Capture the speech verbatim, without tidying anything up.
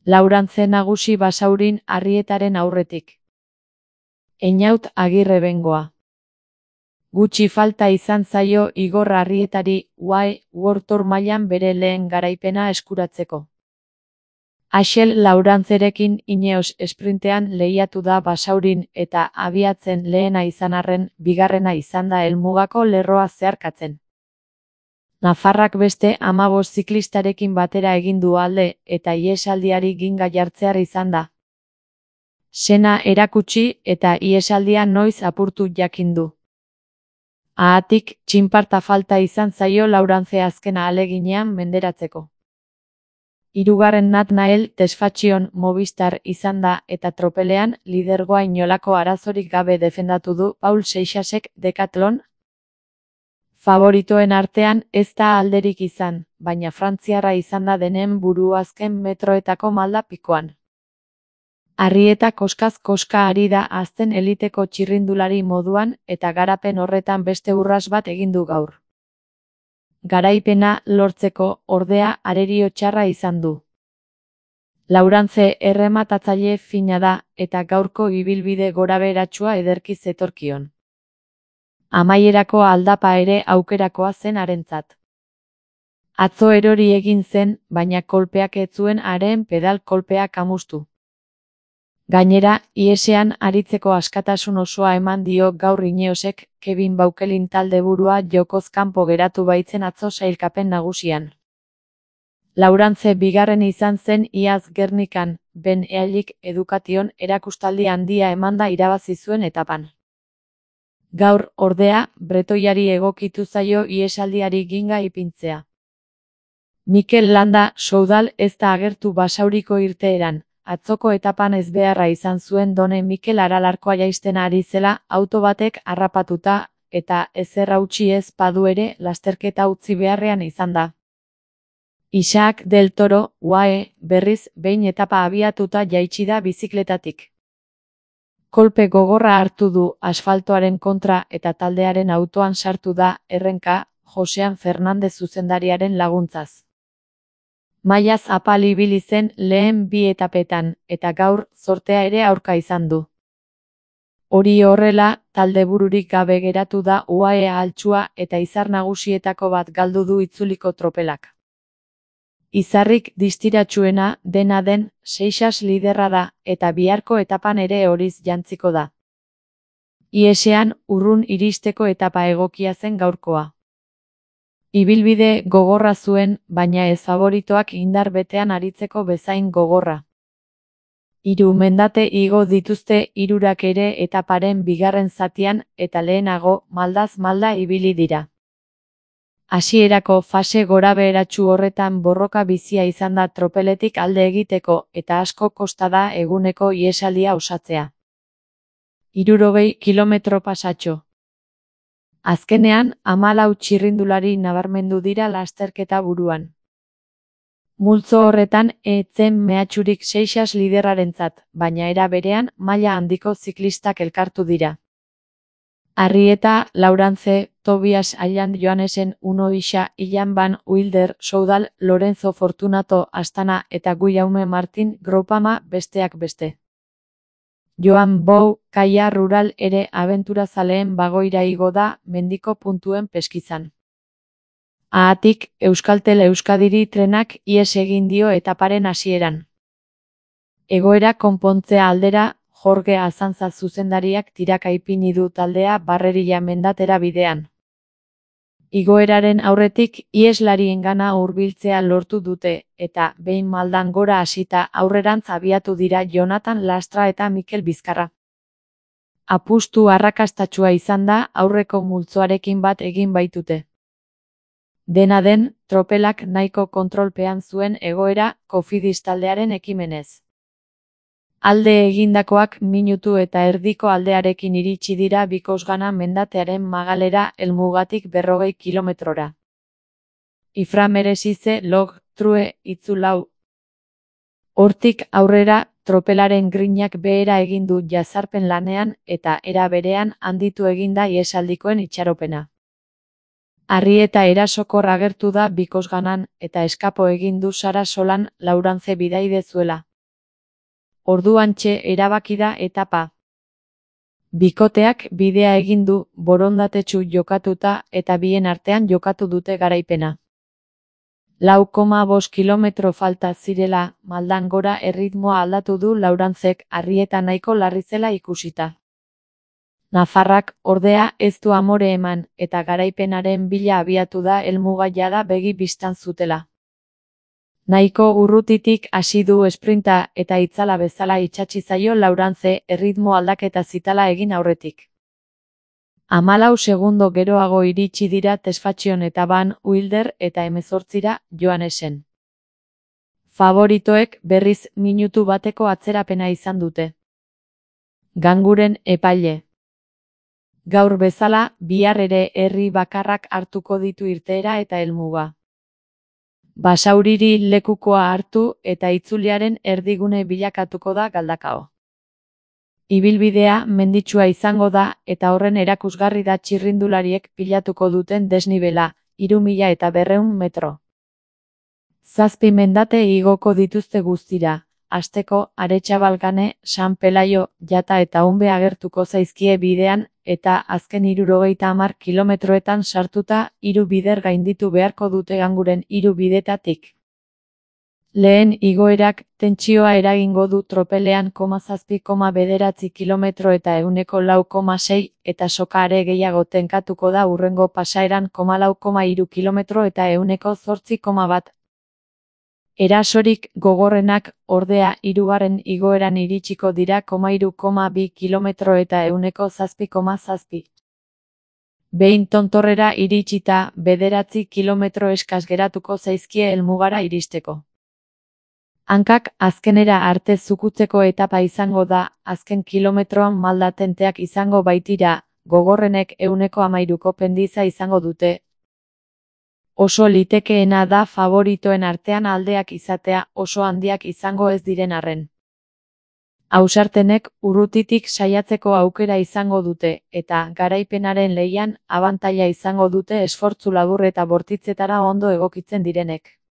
Laurantze nagusi Basaurin Arrietaren aurretik. Einaut Agirre Bengoa. Gutxi falta izan zaio Igor Arrietari U A E World Tour mailan bere lehen garaipena eskuratzeko. Axel Laurantzerekin Ineos esprintean lehiatu da Basaurin eta abiatzen lehena izan arren, bigarrena izan da helmugako lerroa zeharkatzen. Nafarrak beste hamabost ziklistarekin batera egin du alde eta ihesaldiari ginga jartzear izan da. Sena erakutsi eta ihesaldia noiz apurtu jakin du. Haatik, txinparta falta izan zaio Laurantze azken ahaleginean menderatzeko. Hirugarren Nathanael Tesfatxion Movistar izan da eta tropelean lidergoa inolako arazorik gabe defendatu du Paul Seixasek Decathlon. Favoritoen artean ez da alderik izan, baina frantziarra izan da denen buru azken metroetako malda pikoan. Arrieta koskaz koska ari da azten eliteko txirrindulari moduan eta garapen horretan beste urras bat egin du gaur. Garaipena lortzeko ordea arerio txarra izan du. Laurantze errematatzaile fina da eta gaurko ibilbide gorabeheratsua ederki zetorkion. Amaierako aldapa ere aukerakoa zen harentzat. Atzo erori egin zen, baina kolpeak ez zuen haren pedal kolpea kamustu. Gainera, ihesean aritzeko askatasun osoa eman dio gaur Ineosek, Kevin Baukelin taldeburua jokoz kanpo geratu baitzen atzo sailkapen nagusian. Laurantze bigarren izan zen iaz Gernikan, Ben Ealik Education erakustaldi handia emanda irabazi zuen etapan. Gaur, ordea, bretoiari egokitu zaio ihesaldiari ginga ipintzea. Mikel Landa Soudal ez da agertu Basauriko irteeran. Atzoko etapan ezbeharra izan zuen Done Mikel Aralarkoa jaisten ari zela auto batek harrapatuta eta ezer hautsi ez badu ere lasterketa utzi beharrean izan da. Isaac del Toro, U A E, berriz behin etapa abiatuta jaitsi da bizikletatik. Kolpe gogorra hartu du asfaltoaren kontra eta taldearen autoan sartu da errenka Josean Fernandez zuzendariaren laguntzaz. Mailaz apal ibili zen lehen bi etapetan, eta gaur zortea ere aurka izan du. Hori horrela, taldebururik gabe geratu da U A E ahaltsua eta izar nagusietako bat galdu du itzuliko tropelak. Izarrik distiratsuena dena den, Seixas liderra da, eta biharko etapan ere horiz jantziko da. Ihesean, urrun iristeko etapa egokia zen gaurkoa. Ibilbide gogorra zuen, baina ez favoritoak indar betean aritzeko bezain gogorra. Hiru mendate igo dituzte hirurak ere etaparen bigarren zatian eta lehenago maldaz malda ibili dira. Hasierako fase gorabeheratsu horretan borroka bizia izan da tropeletik alde egiteko eta asko kosta da eguneko ihesaldia osatzea. Hirurogei kilometro pasatxo. Azkenean, hamalau txirrindulari nabarmendu dira lasterketa buruan. Multzo horretan ez zen mehatxurik Seixas liderrarentzat, baina era berean maila handiko ziklistak elkartu dira. Arrieta, Laurantze, Tobias Ayland Johanesen, Uno Isa, Ilan Van Wilder, Soudal, Lorenzo Fortunato, Astana eta Guillaume Martin Groupama besteak beste. Joan Bou, Kaia Rural ere abenturazaleen bagoira igo da mendiko puntuen peskizan. Haatik, Euskaltel Euskadiri trenak ihes egin dio etaparen hasieran. Egoera konpontzea aldera, Jorge Azanza zuzendariak tiraka ipini du taldea Barrerilla mendatera bidean. Igoeraren aurretik iheslariengana hurbiltzea lortu dute, eta behin maldan gora hasita aurrerantz abiatu dira Jonathan Lastra eta Mikel Bizkarra. Apustu arrakastatsua izan da aurreko multzoarekin bat egin baitute. Dena den, tropelak nahiko kontrolpean zuen egoera Cofidis taldearen ekimenez. Alde egindakoak minutu eta erdiko aldearekin iritsi dira Bikosgana mendatearen magalera helmugatik berrogei kilometrora. Ifra Merezize log true itzulau. Hortik aurrera, tropelaren grinak behera egin du jazarpen lanean eta era berean handitu eginda iesaldikoen itxaropena. Arrieta erasokor agertu da Bikosganan eta eskapo egin du Sara Solan Laurantze bidaidezuela. orduantxe erabaki da etapa. Bikoteak bidea egin du, borondatetsu jokatuta eta bien artean jokatu dute garaipena. lau koma bost kilometro falta zirela, maldan gora erritmoa aldatu du Laurantzek, Arrieta nahiko larri zela ikusita. Nafarrak, ordea, ez du amore eman, eta garaipenaren bila abiatu da helmuga jada begi bistan zutela. Nahiko urrutitik hasi du esprinta eta itzala bezala itsatsi zaio Laurantze erritmo aldaketa zitala egin aurretik. Hamalau segundo geroago iritsi dira Tesfatxion eta Van Wilder eta hemezortzira Johanesen. Favoritoek berriz minutu bateko atzerapena izan dute. Ganguren epaile. Gaur bezala, bihar ere herri bakarrak hartuko ditu irteera eta helmuga. Basauriri lekukoa hartu eta itzuliaren erdigune bilakatuko da Galdakao. Ibilbidea menditsua izango da eta horren erakusgarri da txirrindulariek pilatuko duten desnibela, hiru mila eta berrehun metro. Zazpi mendate igoko dituzte guztira, hasteko Aretxabalgane, San Pelaio, Jata eta Unbe agertuko zaizkie bidean eta azken hirurogeita hamar kilometroetan sartuta hiru bider gainditu beharko dute Ganguren hiru bidetatik. Lehen igoerak tentsioa eragingo du tropelean koma zazpi koma bederatzi kilometro eta ehuneko lau koma sei eta soka are gehiago tenkatuko da hurrengo pasaeran koma lau koma hiru kilometro eta ehuneko zortzi koma bat. Erasorik gogorrenak, ordea, hirugarren igoeran iritsiko dira koma hiru koma bi kilometro eta ehuneko zazpi koma zazpi. Behin tontorrera iritsita, bederatzi kilometro eskas geratuko zaizkie helmugara iristeko. Hankak azkenera arte zukutzeko etapa izango da, azken kilometroan malda tenteak izango baitira, gogorrenek ehuneko hamairuko pendiza izango dute. Oso litekeena da favoritoen artean aldeak izatea oso handiak izango ez diren arren. Ausartenek urrutitik saiatzeko aukera izango dute, eta garaipenaren lehian abantaila izango dute esfortzu labur eta bortitzetara ondo egokitzen direnek.